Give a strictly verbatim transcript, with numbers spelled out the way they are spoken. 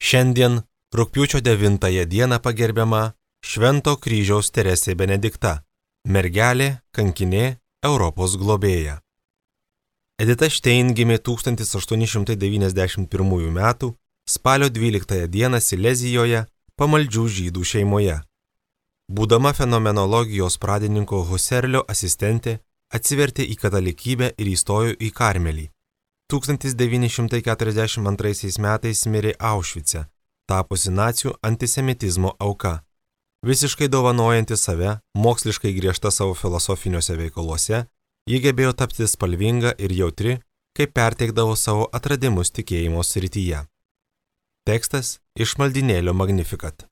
Šiandien, rugpjūčio devintąją dieną pagerbiama Švento kryžiaus Teresė Benedikta, mergelė, kankinė, Europos globėja. Edita Štein gimė tūkstantis aštuoni šimtai devyniasdešimt pirmųjų metų spalio dvyliktąją dieną Silezijoje, pamaldžių žydų šeimoje. Būdama fenomenologijos pradininko Husserlio asistentė, atsivertė į katalikybę ir įstojo į Karmelį. tūkstantis devyni šimtai keturiasdešimt antraisiais metais mirė Aušvice, tapusi nacių antisemitizmo auka. Visiškai dovanojanti save, moksliškai griežta savo filosofiniuose veikaluose, ji gebėjo tapti spalvinga ir jautri, kai perteikdavo savo atradimus tikėjimo srityje. Tekstas iš maldynėlio Magnificat.